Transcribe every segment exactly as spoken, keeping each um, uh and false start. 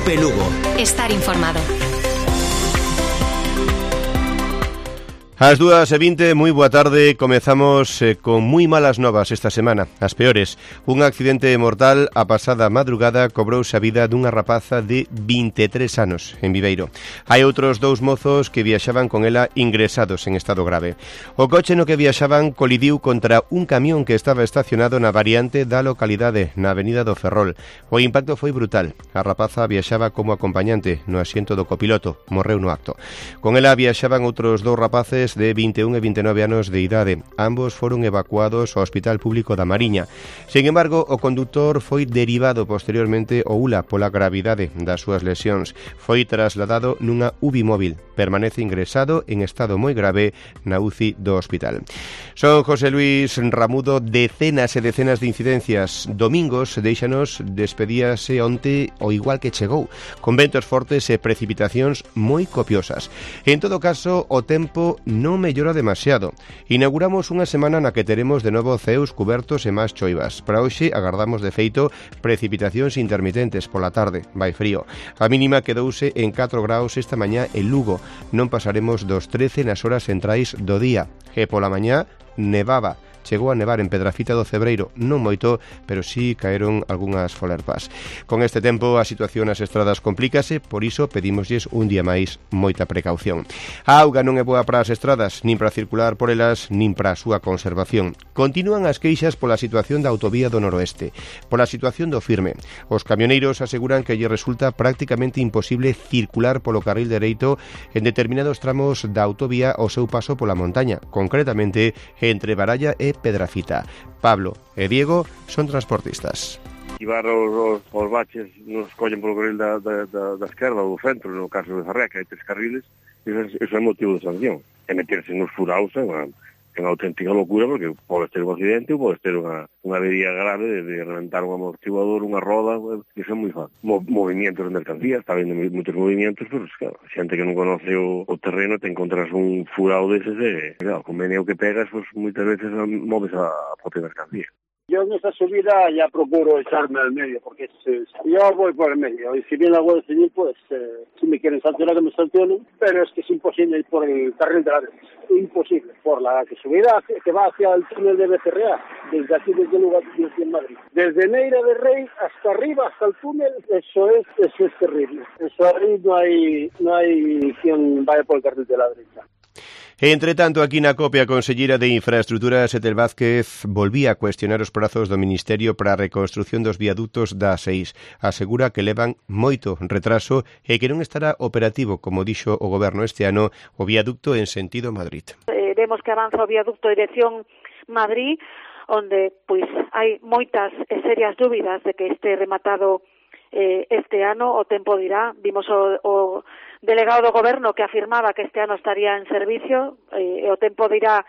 Cope Lugo. Estar informado. Ás dúas e vinte, moi boa tarde. Comezamos eh, con moi malas novas esta semana, as peores. Un accidente mortal a pasada madrugada cobrouse a vida dunha rapaza de vinte e tres anos en Viveiro. Hai outros dous mozos que viaxaban con ela ingresados en estado grave. O coche no que viaxaban colidiu contra un camión que estaba estacionado na variante da localidade, na avenida do Ferrol. O impacto foi brutal. A rapaza viaxaba como acompañante no asiento do copiloto, morreu no acto. Con ela viaxaban outros dous rapaces de vinte e un e vinte e nove anos de idade. Ambos foron evacuados ao Hospital Público da Mariña. Sin embargo, o conductor foi derivado posteriormente ao U L A pola gravidade das súas lesións. Foi trasladado nunha U B I móvil. Permanece ingresado en estado moi grave na U C I do hospital. Son José Luis Ramudo, decenas e decenas de incidencias. Domingos deixanos despedíase onte o igual que chegou, con ventos fortes e precipitacións moi copiosas. En todo caso, o tempo non mellora demasiado. Inauguramos unha semana na que teremos de novo ceos cubertos e máis choivas. Para hoxe agardamos de feito precipitacións intermitentes pola tarde. Vai frío. A mínima quedouse en catro graus esta mañá en Lugo. Non pasaremos dos trece nas horas centrais do día. E pola mañá nevaba. Chegou a nevar en Pedrafita do Cebreiro, non moito, pero sí caeron algunhas folerpas. Con este tempo a situación nas estradas complícase, por iso pedimoslles un día máis moita precaución. A auga non é boa para as estradas, nin para circular por elas, nin para a súa conservación. Continúan as queixas pola situación da autovía do Noroeste, pola situación do Firme. Os camioneiros aseguran que lle resulta prácticamente imposible circular polo carril dereito en determinados tramos da autovía ao seu paso pola montaña, concretamente entre Baralla e Pedrafita. Pablo e Diego son transportistas. Ibar os, os, os baches nos collen polo carril da, da, da, da esquerda ou do centro, no caso de Zarrea, que hai tres carriles, iso, iso é motivo de sanción. E meterse nos furaos é unha, é unha auténtica locura, porque podes ter un accidente ou podes ter unha, unha avería grave de, de reventar un amortiguador, unha roda, iso é moi fácil. Mo, movimientos de mercancías, está vendo moitos movimentos, pero claro, xente que non conoce o, o terreno, te encontras un furado deses e, claro, con meneo que pegas, pues, moitas veces moves a, a propia mercancía. Yo en esta subida ya procuro echarme al medio, porque es, yo voy por el medio, y si viene la Guardia Civil, pues eh, si me quieren sancionar, que me sancionen, pero es que es imposible ir por el carril de la derecha, imposible, por la que subida que va hacia el túnel de Becerrea, desde aquí, desde el lugar de aquí en Madrid. Desde Neira de Rey hasta arriba, hasta el túnel, eso es, eso es terrible. Eso ahí no hay, no hay quien vaya por el carril de la derecha. Entre tanto, aquí na Cope, a conselleira de Infraestructuras, Etel Vázquez, volvía a cuestionar os prazos do Ministerio para a reconstrución dos viaductos da A seis. Asegura que levan moito retraso e que non estará operativo, como dixo o Goberno este ano, o viaducto en sentido Madrid. Eh, vemos que avanza o viaducto dirección Madrid, onde pois hai moitas e serias dúbidas de que este rematado eh, este ano. O tempo dirá. Vimos o, o delegado do Goberno que afirmaba que este ano estaría en servicio, eh, e o tempo dirá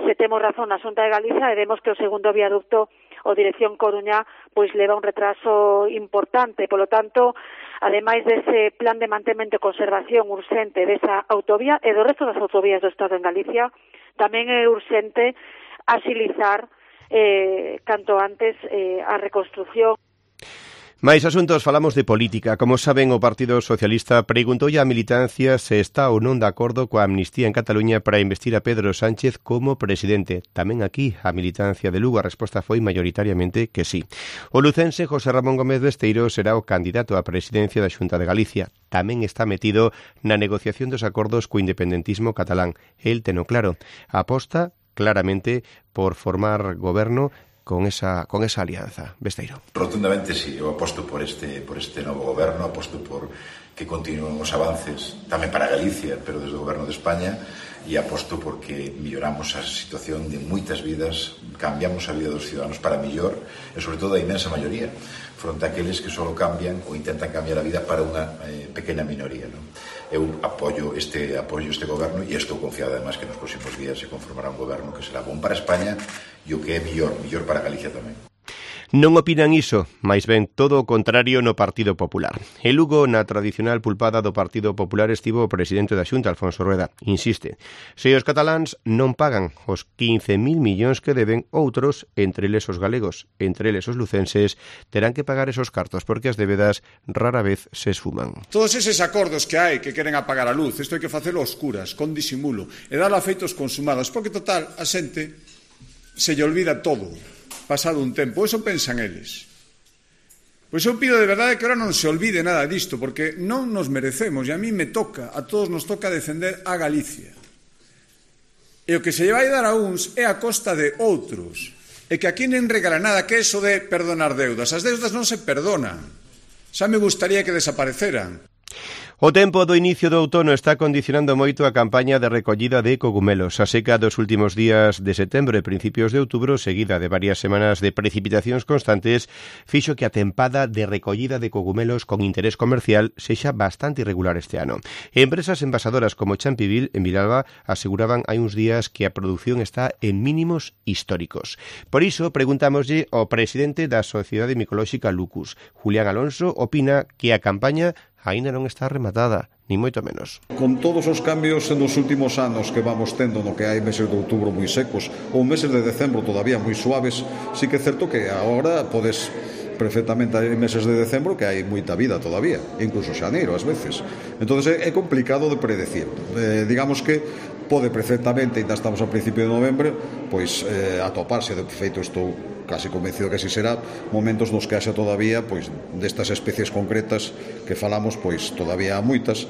se temos razón na Xunta de Galicia, e vemos que o segundo viaducto, o dirección Coruña, pois leva un retraso importante. Polo tanto, ademais dese plan de mantemento e conservación urxente desa autovía e do resto das autovías do Estado en Galicia, tamén é urxente axilizar eh, canto antes eh, a reconstrucción. Mais asuntos, falamos de política. Como saben, o Partido Socialista preguntoulle á militancia se está ou non de acordo coa amnistía en Cataluña para investir a Pedro Sánchez como presidente. Tamén aquí, a militancia de Lugo, a resposta foi maioritariamente que sí. O lucense José Ramón Gómez Besteiro será o candidato á presidencia da Xunta de Galicia. Tamén está metido na negociación dos acordos co independentismo catalán. El teno claro, aposta claramente por formar goberno con esa con esa alianza. Besteiro. Rotundamente sí, eu aposto por este por este novo goberno, aposto por que continúen os avances tamén para Galicia, pero desde o goberno de España, e aposto porque melloramos a situación de moitas vidas, cambiamos a vida dos ciudadanos para mellor, e sobre todo a inmensa maioría, fronte a aqueles que só cambian ou intentan cambiar a vida para unha eh, pequena minoría, non? Eu apoio este apoio este goberno e estou confiado además que nos próximos días se conformará un goberno que será bom para España e o que é mellor, mellor para Galicia tamén. Non opinan iso, máis ben todo o contrario no Partido Popular. En Lugo, na tradicional pulpada do Partido Popular, estivo o presidente da Xunta, Alfonso Rueda. Insiste, se os cataláns non pagan os quince mil millóns que deben, outros, entre eles os galegos, entre eles os lucenses, terán que pagar esos cartos porque as débedas rara vez se esfuman. Todos eses acordos que hai que queren apagar a luz, isto hai que facelo a oscuras, con disimulo, e dar a feitos consumados, porque total, a xente se lle olvida todo. Pasado un tempo, eso pensan eles. Pois eu pido de verdade que ahora non se olvide nada disto, porque non nos merecemos, e a mí me toca, a todos nos toca defender a Galicia. E o que se lle vai dar a uns é a costa de outros. E que aquí non regala nada, que eso de perdonar deudas. As deudas non se perdonan. Xa me gustaría que desapareceran. O tempo do inicio do outono está condicionando moito a campaña de recollida de cogumelos. A seca dos últimos días de setembro e principios de outubro, seguida de varias semanas de precipitacións constantes, fixo que a tempada de recollida de cogumelos con interés comercial sexa bastante irregular este ano. Empresas envasadoras como Champivil, en Vilalba, aseguraban hai uns días que a produción está en mínimos históricos. Por iso, preguntámoslle ao presidente da Sociedade Micolóxica Lucus, Julián Alonso, opina que a campaña aínda non está rematada, ni moito menos. Con todos os cambios nos últimos anos que vamos tendo, no que hai meses de outubro moi secos ou meses de decembro todavía moi suaves, sí que é certo que agora podes perfectamente, hai meses de decembro que hai moita vida todavía, incluso xaneiro ás veces. Entonces é complicado de predecir. Eh, digamos que pode perfectamente, ainda estamos a principio de novembro, pois eh, atoparse, de feito estou casi convencido que así será, momentos nos que haxa todavía pois destas especies concretas que falamos, pois todavía há moitas.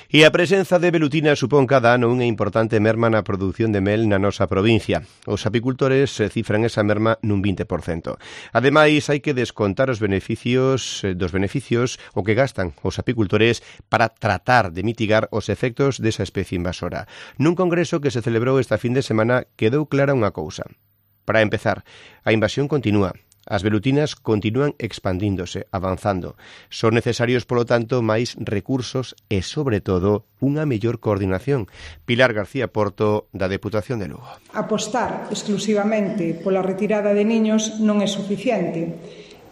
E a presenza de velutina supón cada ano unha importante merma na produción de mel na nosa provincia. Os apicultores cifran esa merma nun vinte por cento. Ademais, hai que descontar os beneficios dos beneficios o que gastan os apicultores para tratar de mitigar os efectos desa especie invasora. Nun congreso que se celebrou esta fin de semana quedou clara unha cousa. Para empezar, a invasión continúa. As velutinas continúan expandíndose, avanzando. Son necesarios, polo tanto, máis recursos e, sobre todo, unha mellor coordinación. Pilar García Porto, da Deputación de Lugo. Apostar exclusivamente pola retirada de niños non é suficiente.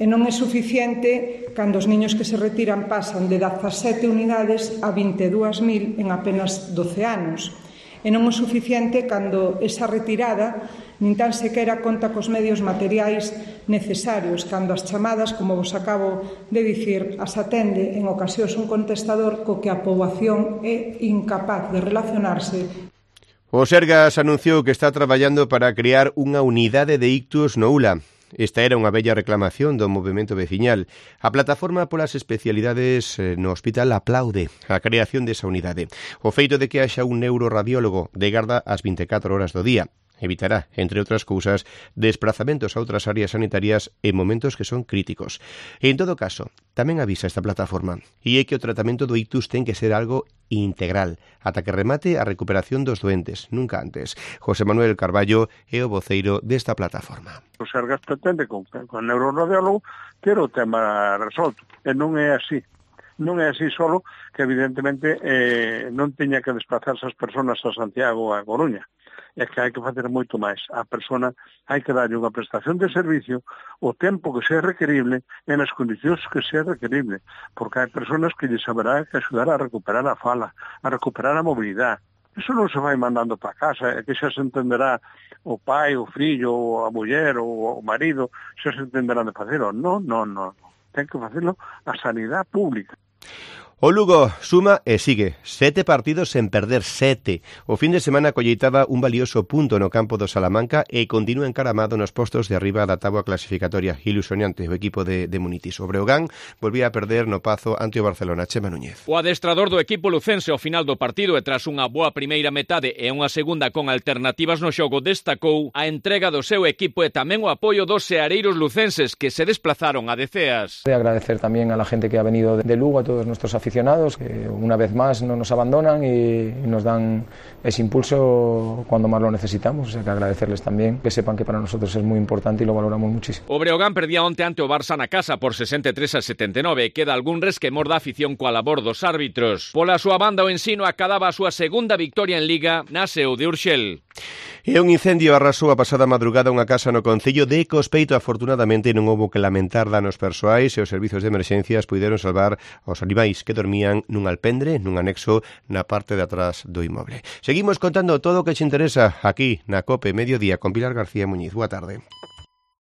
E non é suficiente cando os niños que se retiran pasan de dezasete unidades a vinte e dúas mil en apenas doce anos. E non é suficiente cando esa retirada nin tan sequera conta cos medios materiais necesarios, cando as chamadas, como vos acabo de dicir, as atende en ocasións un contestador co que a poboación é incapaz de relacionarse. O Sergas anunciou que está traballando para crear unha unidade de ictus no U L A. Esta era unha bella reclamación do movemento veciñal. A plataforma polas especialidades no hospital aplaude a creación desa unidade. O feito de que haxa un neuroradiólogo de garda ás vinte e catro horas do día evitará, entre outras cousas, desplazamentos a outras áreas sanitarias en momentos que son críticos. E, en todo caso, tamén avisa esta plataforma, e é que o tratamento do ictus ten que ser algo integral, ata que remate a recuperación dos doentes, nunca antes. José Manuel Carballo é o voceiro desta plataforma. O Sergas pretende, con, con neuroradiólogo, ter o tema resolto, e non é así. Non é así solo que, evidentemente, eh, non teña que desplazarse as persoas a Santiago ou a Coruña. É que hai que facer moito máis. A persona hai que darlle unha prestación de servicio o tempo que sea requerible e nas condicións que sea requerible, porque hai persoas que lle saberá que axudar a recuperar a fala, a recuperar a mobilidade. Iso non se vai mandando para casa, é que xa se entenderá o pai, o fillo, a muller ou o marido, xa se entenderán de facelo. Non, non, non. Ten que facelo a sanidade pública. O Lugo suma e sigue. Sete partidos sen perder, sete. O fin de semana colleitaba un valioso punto no campo do Salamanca e continúa encaramado nos postos de arriba da táboa clasificatoria. Ilusionante o equipo de, de Munitis. O Breogán volvía a perder no Pazo ante o Barcelona. Chema Núñez. O adestrador do equipo lucense ao final do partido e tras unha boa primeira metade e unha segunda con alternativas no xogo destacou a entrega do seu equipo e tamén o apoio dos seareiros lucenses que se desplazaron a Deceas. De agradecer tamén a la gente que ha venido de Lugo, a todos nuestros aficionados aficionados, que una vez más no nos abandonan y, y nos dan ese impulso cuando más lo necesitamos, o sea que agradecerles también, que sepan que para nosotros es muy importante y lo valoramos muchísimo. O Breogán perdía onte ante o Barça na casa por sesenta e tres a setenta e nove, queda algún resquemor da afición coa labor dos árbitros. Pola súa banda o Ensino acadaba a súa segunda victoria en Liga na S E U de Urxel. E un incendio arrasou a pasada madrugada unha casa no concello de Cospeito. Afortunadamente non houbo que lamentar danos persoais e os servizos de emerxencias puideron salvar os animais que dormían nun alpendre, nun anexo na parte de atrás do inmoble. Seguimos contando todo o que che interesa aquí na COPE Mediodía con Pilar García Muñiz. Boa tarde.